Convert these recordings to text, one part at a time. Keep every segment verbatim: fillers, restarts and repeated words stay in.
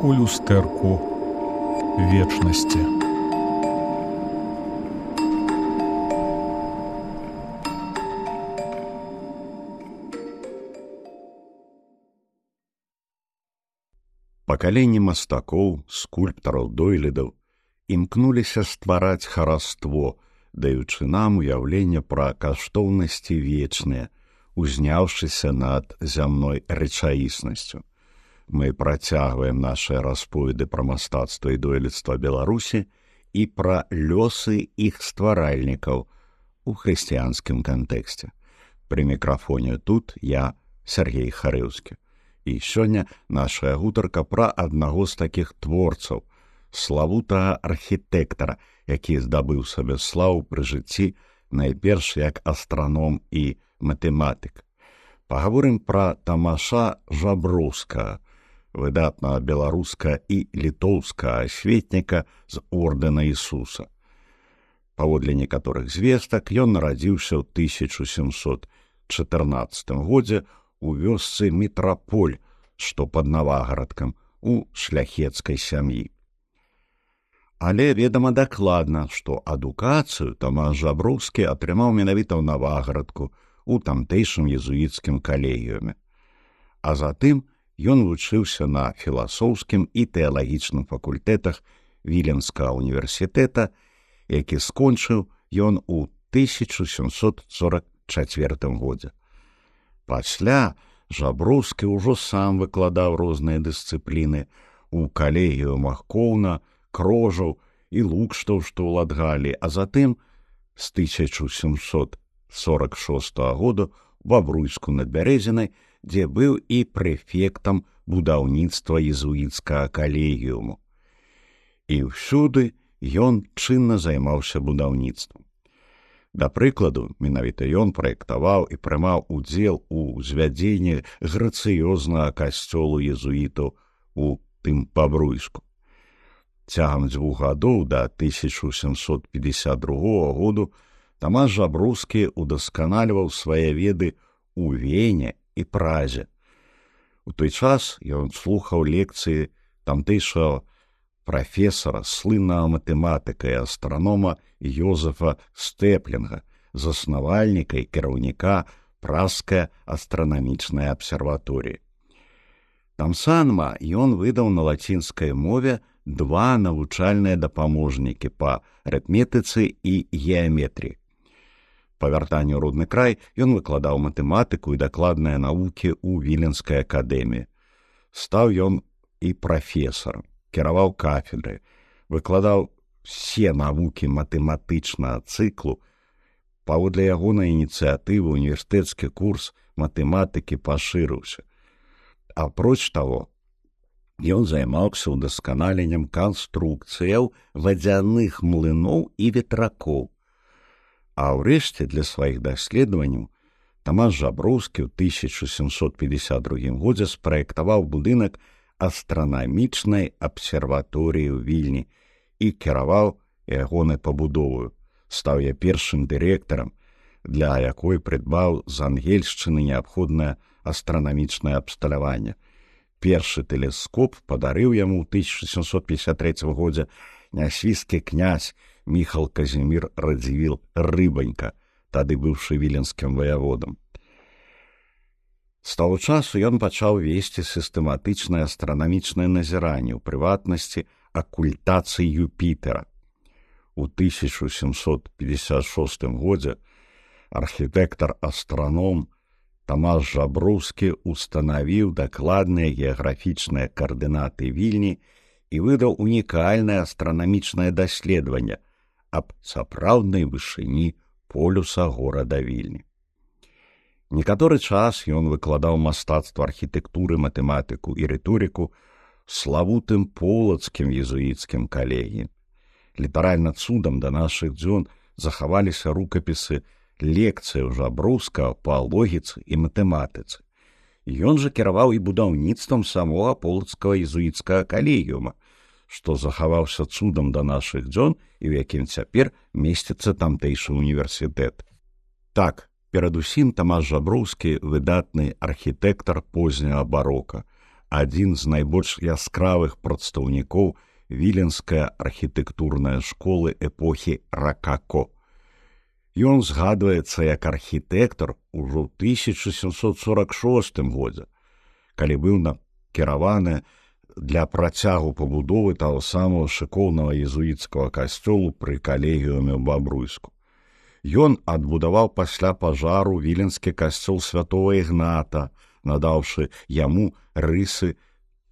у люстэрку вечнасці. Пакаленні мастакоў, скульптараў, дойлідаў імкнуліся ствараць хараство, даючы нам уяўленне пра каштоўнасці вечныя, узняўшыся над зямной рэчаіснасцю. Мы працягваем нашыя расповеды пра мастацтва і дойлідства Беларусі і пра лёсы іх стваральнікаў у хрысціянскім кантэксце. Пры мікрафоне тут я, Сергей Харэўскі. І сёння нашая гутарка пра аднаго з такіх творцаў, славутага архітэктара, які здабыў сабе славу пры жыцці найперш як астраном і матэматык. Пагаворым пра Тамаша Жаброўскага, выдатнага беларуска і літоўскага асветніка з ордэна Ісуса. Паводле некаторых звестак, ён нарадзіўся ў тысяча сямсот чатырнаццатым годзе у вёсцы Мітраполь, што пад Навагарадкам, у шляхецкай сям'і. Але ведама дакладна, што адукацыю Тамаш Жаброўскі атрымаў менавіта ў Навагарадку, у тамтэйшым езуіцкім калегіуме. А затым ён вучыўся на філасофскім і тэалагічным факультэтах Віленскага універсітэта, які скончыў ён у тысяча сямсот сорак чацвёртым годзе. Пасля Жаброўскі ўжо сам выкладаў розныя дысцыпліны у калегіумах Коўна, Крожаў і Лукштаў, што ў Латгалі, а затым з тысяча сямсот сорак шостага года ва Бруйску над Бярэзінай, дзе быў і прэфектам будаўніцтва езуіцкага калегіуму. І ўсюды ён чынна займаўся будаўніцтвам. Да прыкладу, менавіта ён праектаваў і прымаў удзел у звядзенні грацыёзнага касцёлу езуітаў у тым Пабруйску. Цягам дзвюх гадоў да тысяча сямсот пятьдесят другога году Тамаш Жаброўскі удасканальваў свае веды ў Вене і Празе. У той час ён слухаў лекцыі тамтэйшага прафесара, слыннага матэматыка і астранома Йозефа Стэплінга, заснавальніка і кіраўніка Празскай астранамічнай абсерваторыі. Тамсама ён выдаў на лацінскай мове два навучальныя дапаможнікі па арытметыцы і геаметрыі. Па вяртанню ў родны край ён выкладаў матэматыку і дакладныя навукі ў Віленскай акадэміі. Стаў ён і прафесарам, кіраваў кафедрай, выкладаў все навукі матэматычнага цыклу. Паводле ягонай ініцыятывы універсітэцкі курс матэматыкі пашырыўся. Апроч таго, ён займаўся ўдасканаленнем канструкцыяў вадзяных млыноў і ветракоў. А ўрэшце для сваіх даследаванняў Тамаш Жаброўскі ў тысяча сямсот пятьдесят другім годзе спраектаваў будынак астранамічнай абсерваторыі ў Вільні і кіраваў ягонай пабудоваю. Стаў я першым дырэктарам, для якой прыдбаў з ангельшчыны неабходнае астранамічнае абсталяванне. Першы тэлескоп падарыў яму ў тысяча сямсот пятьдесят трэцім годзе нясвійскі князь Міхал Казімір Радзівіл Рыбанька, тады быўшы віленскім ваяводам. З таго часу ён пачаў весці сістэматычнае астранамічнае назіранне, у прыватнасці акультацыі Юпітера. У тысяча сямсот пятьдесят шостым годзе архітэктар-астраном Тамаш Жаброўскі устанавіў дакладныя геаграфічныя каардынаты Вільні і выдаў унікальнае астранамічнае даследаванне аб сапраўднай вышыні полюса горада Вільні. Некаторы час ён выкладаў мастацтва архітэктуры, матэматыку і рыторыку славутым полацкім езуіцкім калегіі. Літаральна цудам да нашых дзён захаваліся рукапісы лекцыяў Жаброўскага па логіцы і матэматыцы. Ён жа кіраваў і будаўніцтвам самога полацкага езуіцкага калегіума, што захаваўся цудам да нашых дзён і ў якім цяпер месціцца тамтэйшы універсітэт. Так, перадусім Тамаш Жаброўскі выдатны архітэктар позняга барока, адзін з найбольш яскравых прадстаўнікоў віленскай архітэктурнай школы эпохі ракако. Ён згадваецца як архітэктар ужо ў тысяча сямсот сорок шостым годзе, калі быў накіраваны для працягу пабудовы таго самого шыкоўнага езуіцкага касцёлу пры калегіуме ў Бабруйску. Ён адбудаваў пасля пажару віленскі касцёл святого Ігната, надаўшы яму рысы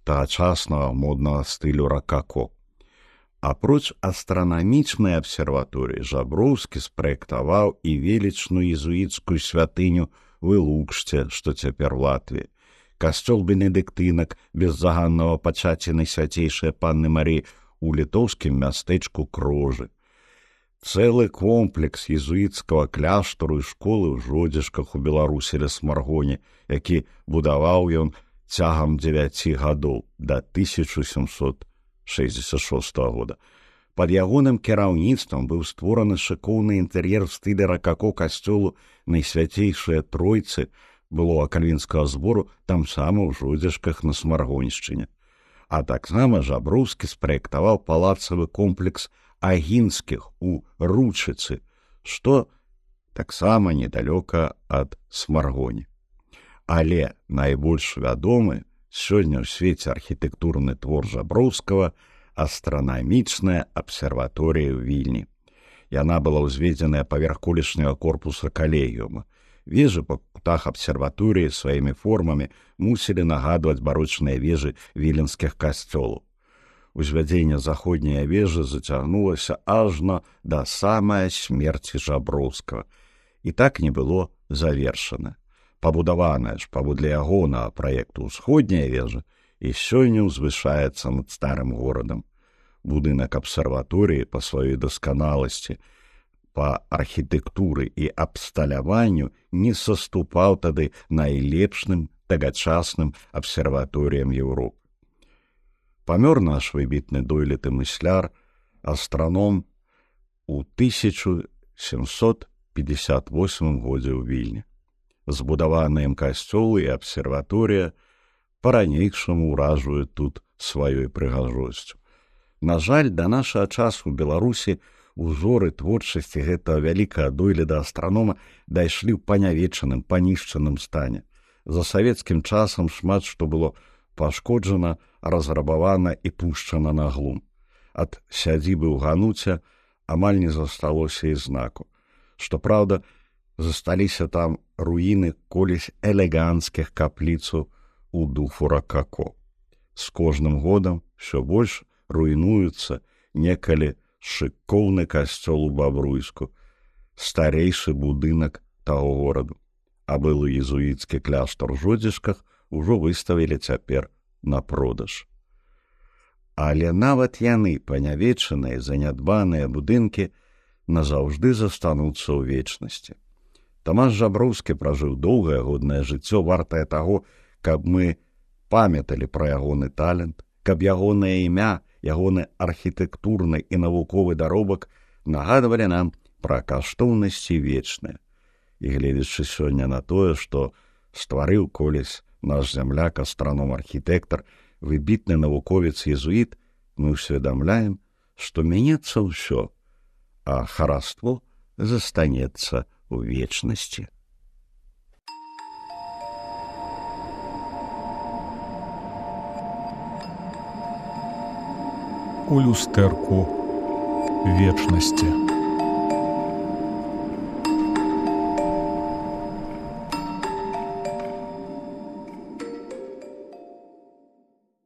тагачаснага моднага стылю ракако. Апроч астранамічнай абсерваторыі Жаброўскі спраектаваў і велічную езуіцкую святыню ў Ілукшце, што цяпер Латвія, касцёл бенедыктынак беззаганнага пачаціны свяцейшай панны Марыі ў літоўскім мястэчку Крожы, цэлы комплекс езуіцкага кляштару і школы ў Жодзішках у Беларусі ля Смаргоне, які будаваў ён цягам дзевяці гадоў да тысяча сямсот шэсцьдзесят шостага года. Пад ягоным кіраўніцтвам быў створаны шыкоўны інтэр'ер в стылі ракако касцёлу Найсвяцейшай Тройцы былога кальвінскага збору там сама ў Жодзішках на Смаргоншчыне. А таксама Жаброўскі спраектаваў палацавы комплекс Агінскіх у Ручыцы, што таксама недалёка ад Смаргоні. Але найбольш вядомы сёння ў свеце архітэктурны твор Жаброўскага — астранамічная абсерваторыя ў Вільні. Яна была ўзведзеная паверх колішняга корпуса калегіума. Вежы па кутах абсерваторыі сваімі формамі мусілі нагадваць барочныя вежы віленскіх касцёлаў. Узвядзенне заходняй вежы зацягнулася ажно да самай смерці Жаброўскага і так не было завершана. Пабудаваная ж паводле ягонага праекту ўсходняя вежа і сёння ўзвышаецца над старым горадам. Будынак абсерваторыі па сваёй дасканаласці, па архітэктуры і абсталяванню не саступаў тады найлепшым тагачасным абсерваторыям Еўропы. Памёр наш выбітны дойліты мысляр, астраном у тысяча сямсот пятьдесят восьмым годзе ў Вільні. Збудаваныя ім касцёлы і абсерваторыя па-ранейшаму ўражваюць тут сваёй прыгажосцю. На жаль, да нашага часу ў Беларусі узоры творчасці гэтага вялікага дойліда астранома дайшлі ў панявечаным, панішчаным стане. За савецкім часам шмат што было пашкоджана, разрабавана і пушчана на глум. Ад сядзібы ў Гануце амаль не засталося і знаку. Што праўда, засталіся там руіны колісь элеганцкіх капліцаў у духу ракако. З кожным годам ўсё больш руйнуюцца некалі шыкоўны касцёл у Бабруйску, старэйшы будынак таго гораду, а былы езуіцкі кляштар у Жодзішках ужо выставілі цяпер на продаж. Але нават яны, панявечаныя, занядбаныя будынкі, назаўжды застануцца ў вечнасці. Тамаш Жаброўскі пражыў доўгае годнае жыццё, вартае таго, каб мы памяталі пра ягоны талент, каб ягонае імя, ягоны архітэктурны і навуковы даробак нагадвалі нам пра каштоўнасці вечныя. І гледзячы сёння на тое, што стварыў колісь наш зямляк, астраном-архітэктар, выбітны навуковец-езуіт, мы ўсведамляем, што мяняцца ўсё, а хараство застанецца ў вечнасці. У люстэрку вечнасці.